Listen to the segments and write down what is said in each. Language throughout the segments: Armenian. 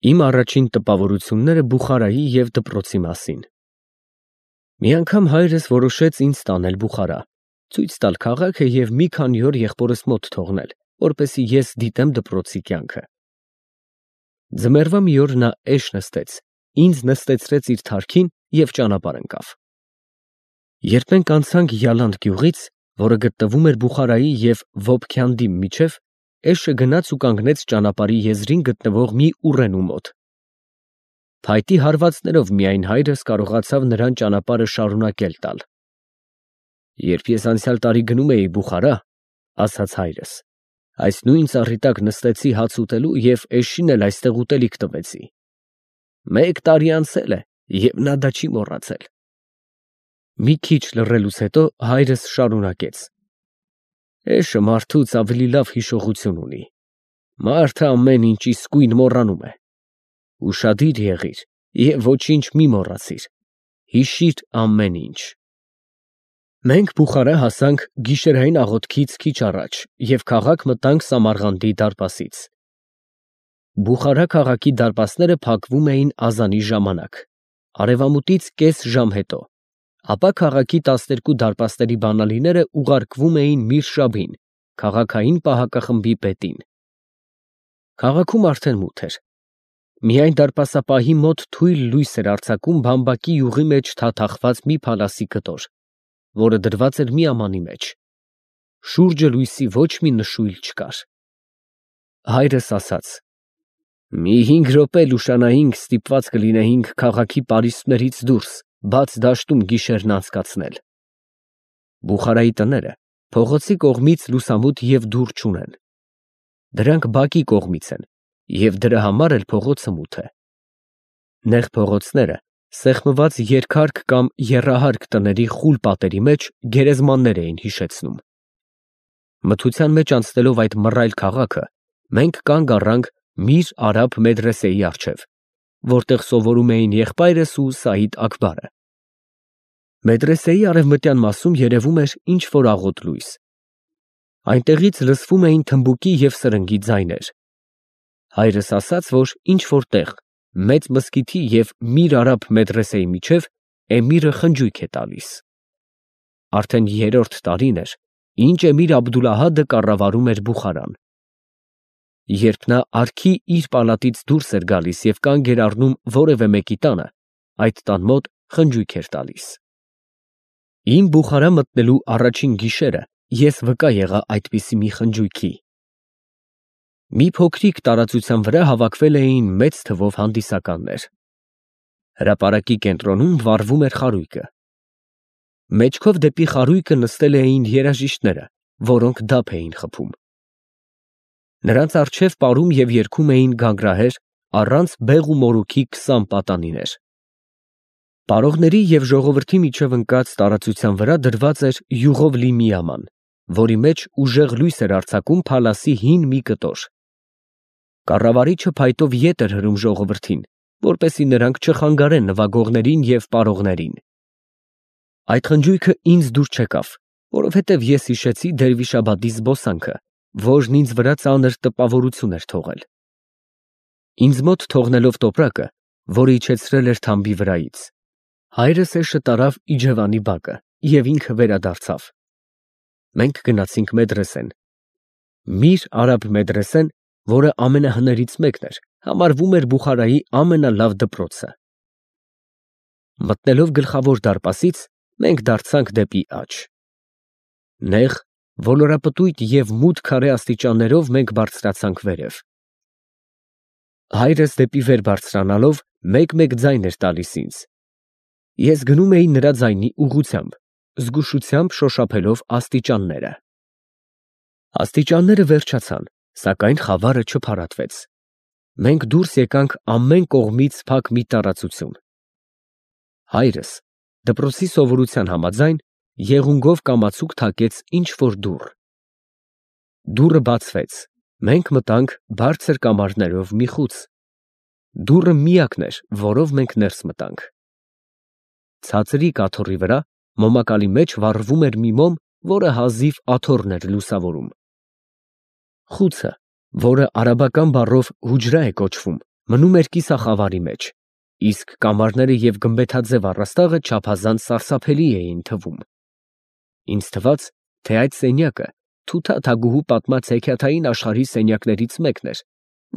Իմ առաջին տպավորությունները Բուխարայի և դպրոցի մասին։ Մի անգամ հայրս որոշեց ինձ տանել Բուխարա, ցույց տալ քաղաքը և մի քանի օր եղբորս մոտ թողնել, որպեսզի ես դիտեմ դպրոցի կյանքը։ Ձմեռվա մի օր նա էշ նստեց, ինձ նստեցրեց իր թարքին և ճանապարհ ընկավ։ Երբ մենք անցանք Յալանդ գյուղից, որը գտնվում էր Բուխարայի և Վոբքյանդի միջև, էշը գնաց ու կանգնեց ճանապարհի եզրին գտնվող մի ուռենու մոտ։ Փայտի հարվածներով միայն հայրս կարողացավ նրան ճանապարհը շարունակել տալ։ Երբ ես անցյալ տարի գնում էի Բուխարա, ասաց հայրս, այս նույն ծառի տակ նստեցի հաց ուտելու և էշին էլ այստեղ ուտելիք տվեցի։ 1 տարի անցել է, և նա դա չի մոռացել։ Մի քիչ լռելուց հետո հայրս շարունակեց. Էշը մարդուց ավելի լավ հիշողություն ունի։ Մարդը ամեն ինչ իսկույն մոռանում է։ Ուշադիր եղիր և ոչինչ մի մոռացիր։ Հիշիր ամեն ինչ։ Մենք Բուխարա հասանք գիշերային աղոթքից քիչ առաջ և քաղաք մտանք Սամարղանդի դարպասից։ Բուխարա քաղաքի դարպասները փակվում էին ազանի ժամանակ, արևամուտից կես ժամ հետո, ապա քաղաքի 12 դարպասների բանալիները ուղարկվում էին Միր քաղաքային պահակախմբի պետին։ Քաղաքում արդեն մութ էր։ Միայն դարպասապահի մոտ թույլ լույս էր արձակում բամբակի յուղի մեջ թաթախված մի փալասի կտոր, որը դրված էր մի ամանի մեջ։ Շուրջը լույսի ոչ մի նշույլ չկար։ Հայրս ասաց. «Մի 5 րոպե լուշանայինք, ստիպված կլինեինք քաղաքի պարիսպներից դուրս, բաց դաշտում գիշերն անցկացնել»։ Բուխարայի տները փողոցի կողմից լուսամուտ և դուռ չունեն։ Դրանք բակի կողմից են, և դրա համար էլ փողոցը մութ է։ Նեղ փողոցները սեղմված երկհարկ կամ եռահարկ տների խուլ պատերի մեջ գերեզմաններ էին հիշեցնում։ Մթության մեջ անցնելով այդ մռայլ քաղաքը, մենք կանգ առանք Միր Արաբ մեդրեսեի առջև, որտեղ սովորում էին եղբայրս ու Սաիդ֊Աքբարը։ Մեդրեսեի արևմտյան մասում երևում էր ինչ֊որ աղոտ լույս։ Այնտեղից լսվում էին թմբուկի և սրնգի ձայներ։ Հայրս ասաց, որ ինչ֊որ տեղ, մեծ մզկիթի և Միր Արաբ մեդրեսեի միջև էմիրը խնջույք է տալիս։ Արդեն 3-րդ տարին էր, ինչ էմիր Աբդուլահադը կառավարում էր Բուխարան։ Երբ նա արքի իր պալատից դուրս էր գալիս և կանգ էր առնում որևէ մեկի տանը, այդ տան մոտ խնջույք էր տալիս։ Իմ Բուխարա մտնելու առաջին գիշերը ես վկա եղա այդպիսի մի խնջույքի։ Մի փոքրիկ տարածության վրա հավաքվել էին մեծ թվով հանդիսականներ։ Հրապարակի կենտրոնում վառվում էր խարույկը։ Մեջքով դեպի խարույկը նստել էին երաժիշտները, որոնք դափ էին խփում։ Նրանց առջև պարում և երգում էին գանգրահեր առանց բեղ ու մորուքի 20 պատանիներ։ Պարողների և ժողովրդի միջև ընկած տարածության վրա դրված էր յուղով լի մի աման, որի մեջ ուժեղ լույս էր արձակում փալասի հին մի կտոր։ Կառավարիչը փայտով ետ էր հրում ժողովրդին, որպեսզի նրանք չխանգարեն նվագողներին և պարողներին։ Այդ խնջույքը ինձ դուր չեկավ, որովհետև ես հիշեցի Դերվիշաբադի զբոսանքը, որն ինձ վրա ծանր տպավորություն էր թողել։ Ինձ մոտ թողնելով տոպրակը, որը իջեցրել էր թամբի վրայից, հայրս էշը տարավ իջևանի բակը և ինքը վերադարձավ։ Մենք գնացինք մեդրեսեն։ Միր Արաբ մեդրեսեն, որը ամենահներից մեկն էր, համարվում էր Բուխարայի ամենալավ դպրոցը։ Մտնելով գլխավոր դարպասից, մենք դարձանք դեպի աջ։ Նեղ, ոլորապտույտ և մութ քարե աստիճաններով մենք բարձրացանք վերև։ Հայրս դեպի վեր բարձրանալով մեկ-մեկ ձայն էր տալիս ինձ։ Ես գնում էի նրա ձայնի ուղղությամբ, զգուշությամբ շոշափելով աստիճանները։ Աստիճանները վերջացան, սակայն խավարը չփարատվեց։ Մենք դուրս եկանք ամեն կողմից փակ մի տարածություն։ Հայրս, դպրոցի սովորության համաձայն, եղունգով կամացուկ թակեց ինչ֊որ դուռ։ Դուռը բացվեց, մենք մտանք բարձր կամարներով մի խուց։ Դուռը միակն էր, որով մենք ներս մտանք։ Ցածրիկ աթոռի վրա մոմակալի մեջ վառվում էր մի մոմ, որը հազիվ աթոռն էր լուսավորում։ Խուցը, որը արաբական բառով հուջրա է կոչվում, մնում էր կիսախավարի մեջ, իսկ կամարները և գմբեթաձև առաստաղը չափազանց սարսափելի էին թվում։ Ինձ թվաց, թե այդ սենյակը Թութա-Թագուհու պատմած հեքիաթային աշխարհի սենյակներից մեկն էր,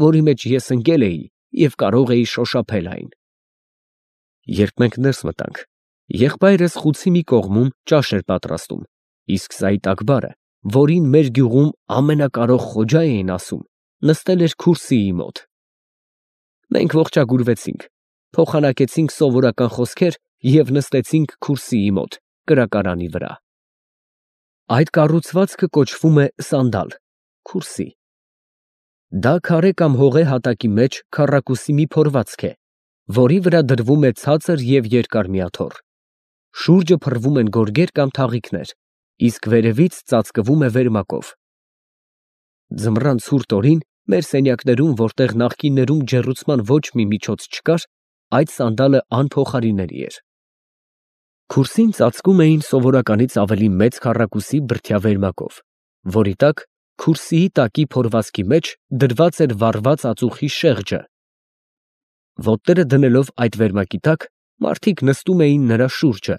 որի մեջ ես ընկել էի և կարող էի շոշափել այն։ Երբ մենք ներս մտանք, եղբայրս խուցի մի կողմում ճաշ էր պատրաստում, իսկ Սաիդ Ակբարը, որին մեր գյուղում ամենակարող Խոջա էին ասում, նստել էր քուրսիի մոտ։ Մենք ողջագուրվեցինք, փոխանակեցինք սովորական խոսքեր և նստեցինք քուրսիի մոտ, կրակարանի վրա։ Այդ կառուցվածքը կոչվում է սանդալ (քուրսի)։ Դա քարե կամ հողե հատակի մեջ քառակուսի մի փորվածք է, որի վրա դրվում է ցածր և երկար մի աթոռ։ Շուրջը փռվում են գորգեր կամ թաղիքներ, իսկ վերևից ծածկվում է վերմակով։ Ձմռան ցուրտ օրին մեր սենյակներում, որտեղ նախկիններում ջեռուցման ոչ մի միջոց չկար, այդ սանդալը անփոխարինելի էր։ Քուրսին ծածկում էին սովորականից ավելի մեծ քառակուսի բրդյա վերմակով, որի տակ քուրսիի տակի փորվածքի մեջ դրված էր վառված ածուխի շեղջը։ Ոտները դնելով այդ վերմակի տակ, մարդիկ նստում էին նրա շուրջը,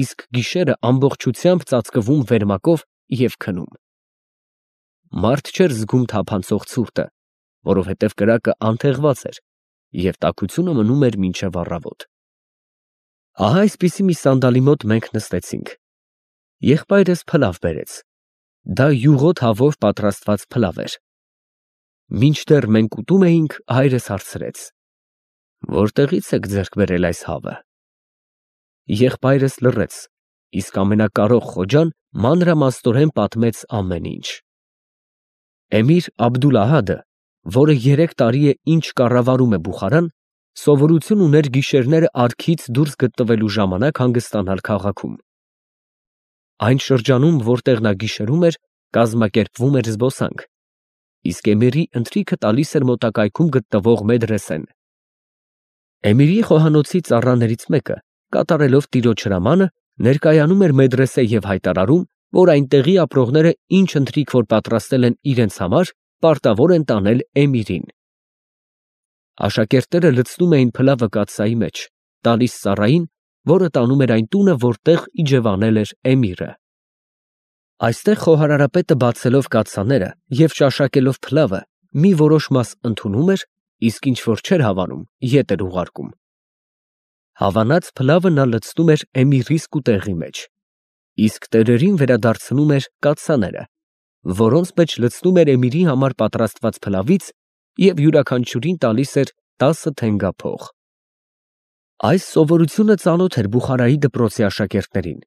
իսկ գիշերը ամբողջությամբ ծածկվում վերմակով և քնում։ Մարդ չէր զգում թափանցող ցուրտը, որովհետև կրակը անթեղված էր, և տաքությունը մնում էր մինչև առավոտ։ Ահա այսպիսի մի սանդալի մոտ մենք նստեցինք։ Եղբայրս փլավ բերեց։ Դա յուղոտ հավով պատրաստված փլավ էր։ Մինչդեռ մենք ուտում էինք, հայրս հարցրեց. «Որտեղից եք ձեռք բերել այս հավը»։ Եղբայրս լռեց, իսկ ամենակարող Խոջան մանրամասնորեն պատմեց ամեն ինչ։ Էմիր Աբդուլ֊Ահադը, որը 3 տարի է ինչ կառավարում է Բուխարան, սովորություն ուներ գիշերները արքից դուրս գտնվելու ժամանակ հանգստանալ քաղաքում։ Այն շրջանում, որտեղ նա գիշերում էր, կազմակերպվում էր զբոսանք, իսկ էմիրի ընթրիքը տալիս էր մոտակայքում գտնվող մեդրեսեն։ Էմիրի խոհանոցի ծառաներից մեկը, կատարելով տիրոջ հրամանը, ներկայանում էր մեդրեսե և հայտարարում, որ այնտեղի ապրողները ինչ ընթրիք որ պատրաստել են իրենց համար, պարտավոր են տանել էմիրին։ Աշակերտները լցնում էին փլավը կաթսայի մեջ, տալիս ծառային, որը տանում էր այն տունը, որտեղ իջևանել էր էմիրը։ Այստեղ խոհարարապետը բացելով կաթսաները և ճաշակելով փլավը, մի որոշ մաս ընդունում էր, իսկ ինչ որ չէր հավանում, ետ էր ուղարկում։ Հավանած փլավը նա լցնում էր էմիրի սկուտեղի մեջ, իսկ տերերին վերադարձնում էր կաթսաները, որոնց մեջ լցնում էր էմիրի համար պատրաստված փլավից և յուրաքանչյուրին տալիս էր 10 թենգափող։ Այս սովորությունը ծանոթ էր Բուխարայի դպրոցի աշակերտներին։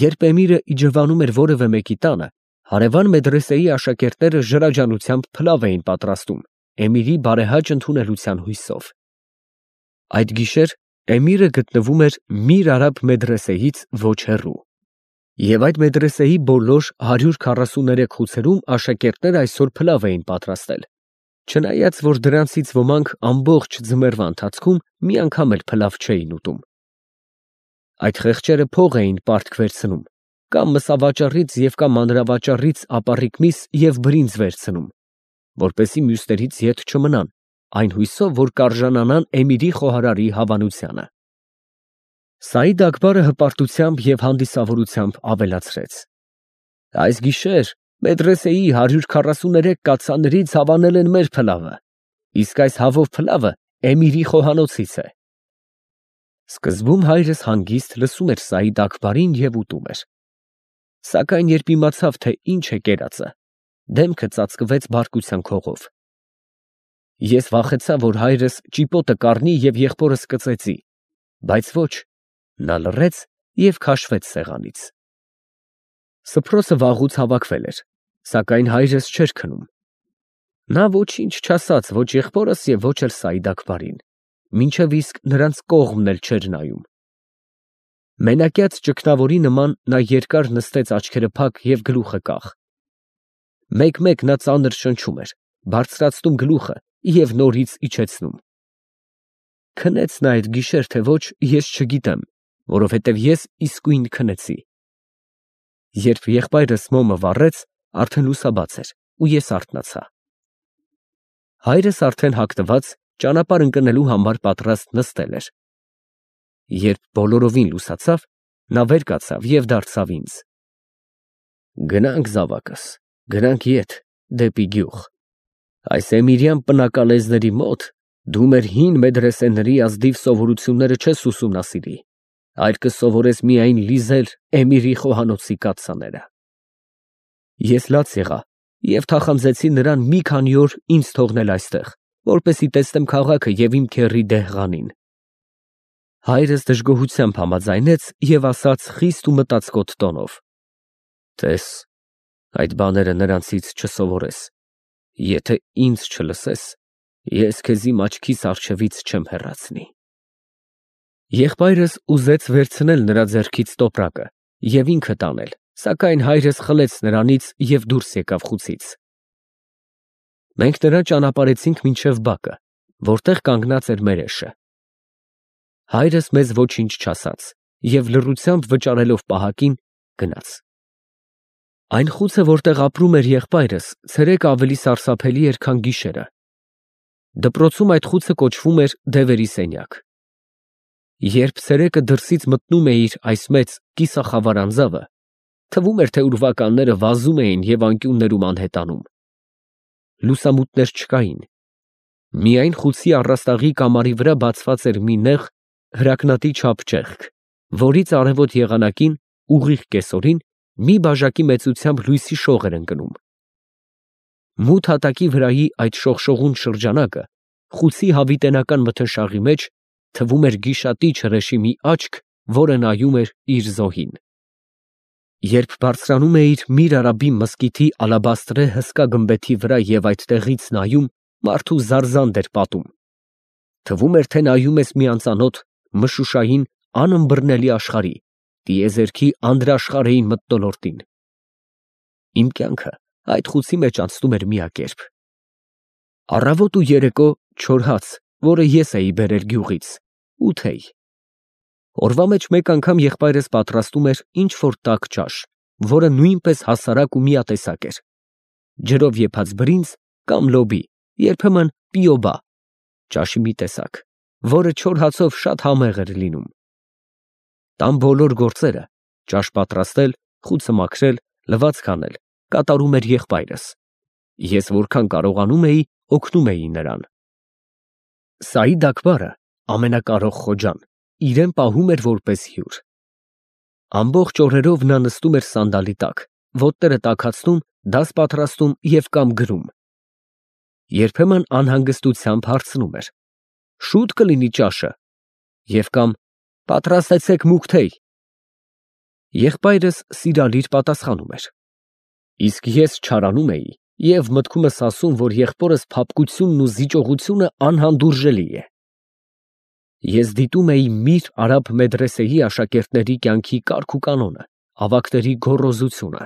Երբ էմիրը իջևանում էր որևէ մեկի տանը, հարևան մեդրեսեի աշակերտները ժրաջանությամբ փլավ էին պատրաստում էմիրի բարեհաճ ընդունելության հույսով։ Այդ գիշեր էմիրը գտնվում էր Միր Արաբ մեդրեսեից ոչ հեռու, և այդ մեդրեսեի բոլոր 143 խուցերում աշակերտները այսօր փլավ էին պատրաստել, չնայած որ դրանցից ոմանք ամբողջ ձմեռվա ընթացքում մի անգամ էլ փլավ չէին ուտում։ Այդ խեղճերը փող էին պարտք վերցնում, կամ մսավաճառից և կամ մանրավաճառից ապառիկ միս և բրինձ վերցնում, որպեսզի մյուսներից ետ չմնան, այն հույսով, որ կարժանանան էմիրի խոհարարի հավանությանը։ Սաիդ Ակբարը հպարտությամբ և հանդիսավորությամբ ավելացրեց. «Այս գիշեր մեդրեսեի 143 կաթսաներից հավանել են մեր փլավը, իսկ այս հավով փլավը էմիրի խոհանոցից է»։ Սկզբում հայրս հանգիստ լսում էր Սաիդ Ակբարին և ուտում էր, սակայն երբ իմացավ, թե ինչ է կերածը, դեմքը ծածկվեց բարկության քողով։ Ես վախեցա, որ հայրս ճիպոտը կառնի և եղբորս կծեծի, բայց ոչ, նա լռեց և քաշվեց սեղանից։ Սփռոցը վաղուց հավաքվել էր, սակայն հայրս չէր քնում։ Նա ոչինչ չասաց ոչ եղբորս և ոչ էլ Սաիդ Ակբարին, մինչև իսկ նրանց կողմն էլ չէր նայում։ Մենակյաց ճգնավորի նման նա երկար նստեց աչքերը փակ և գլուխը կախ։ Մեկ֊մեկ նա ծանր շնչում էր, բարձրացնում գլուխը և նորից իջեցնում։ Քնեց նա այդ գիշեր, թե ոչ, ես չգիտեմ, որովհետև ես իսկույն քնեցի։ Երբ եղբայրս մոմը վառեց, արդեն լուսաբաց էր, ու ես արթնացա։ Հայրս արդեն հագնված ճանապարհ ընկնելու համար պատրաստ նստել էր։ Երբ բոլորովին լուսացավ, նա վեր կացավ և դարձավ ինձ. «Գնանք, զավակս, գնանք ետ, դեպի գյուղ։ Այս էմիրյան պնակալեզների մոտ դու մեր հին մեդրեսեների ազնիվ սովորությունները չես ուսումնասիրի, այլ կսովորես միայն լիզել էմիրի խոհանոցի կաթսաները»։ Ես լաց եղա և թախանձեցի նրան մի քանի օր ինձ թողնել այստեղ, որպեսզի տեսնեմ քաղաքը և իմ քեռի Դեհղանին։ Հայրս դժգոհությամբ համաձայնեց և ասաց խիստ ու մտածկոտ տոնով. «Տես, այդ բաները նրանցից չսովորես, եթե ինձ չլսես, ես քեզ իմ աչքիս առջևից չեմ հեռացնի»։ Եղբայրս ուզեց վերցնել նրա ձեռքից տոպրակը և ինքը տանել, սակայն հայրս խլեց նրանից և դուրս եկավ խուցից։ Մենք նրան ճանապարհեցինք մինչև բակը, որտեղ կանգնած էր մերեշը։ Հայրս մեզ ոչինչ չասաց և լռությամբ վճարելով պահակին, գնաց։ Այն խուցը, որտեղ ապրում էր եղբայրս, ցերեկը ավելի սարսափելի էր, քան գիշերը։ Դպրոցում այդ խուցը կոչվում էր «Դևերի սենյակ»։ Երբ ցերեկը դրսից մտնում էիր այս մեծ կիսախավար անձավը, թվում էր, թե ուրվականները վազում էին և անկյուններում անհետանում։ Լուսամուտներ չկային։ Միայն խուցի առաստաղի կամարի վրա բացված էր մի նեղ, հրակնատի չափ ճեղք, որից արևոտ եղանակին, ուղիղ կեսօրին, մի բաժակի մեծությամբ լույսի շող էր ընկնում։ Մութ հատակի վրայի այդ շողշողուն շրջանակը խուցի հավիտենական մթնշաղի մեջ թվում էր գիշատիչ հրեշի մի աչք, որը նայում էր իր զոհին։ Երբ բարձրանում էիր Միր Արաբի մզկիթի ալաբաստրե հսկա գմբեթի վրա և այդտեղից նայում, մարդու զարզանդ էր պատում։ Թվում էր, թե նայում ես մի անծանոթ, մշուշային, անըմբռնելի աշխարհի, տիեզերքի անդրաշխարհային մթնոլորտին։ Իմ կյանքը այդ խուցի մեջ անցնում էր միակերպ։ Առավոտ ու երեկո չոր հաց, որը ես էի բերել գյուղից, ութեյ։ Օրվա մեջ մեկ անգամ եղբայրս պատրաստում էր ինչ֊որ տաք ճաշ, որը նույնպես հասարակ ու միատեսակ էր։ Ջրով եփած բրինձ կամ լոբի, երբեմն պիոբա, ճաշի մի տեսակ, որը չոր հացով շատ համեղ էր լինում։ Տան բոլոր գործերը՝ ճաշ պատրաստել, խուցը մաքրել, լվացք անել, կատարում էր եղբայրս։ Ես որքան կարողանում էի, օգնում էի նրան։ Սաիդ Աքբարը, ամենակարող խոջան, իրեն պահում էր որպես հյուր։ Ամբողջ օրերով նա նստում էր սանդալի տակ, ոտները տաքացնում, դաս պատրաստում և կամ գրում։ Երբեմն անհանգստությամբ հարցնում էր. «Շո՞ւտ կլինի ճաշը» և կամ «Պատրաստեցեք մուգ թեյ»։ Եղբայրս սիրալիր պատասխանում էր։ Իսկ ես չարանում էի և մտքումս ասում, որ եղբորս փափկությունն ու զիջողությունը անհանդուրժելի է։ Ես դիտում էի Միր Արաբ մեդրեսեի աշակերտների կյանքի կարգ ու կանոնը, ավագների գոռոզությունը։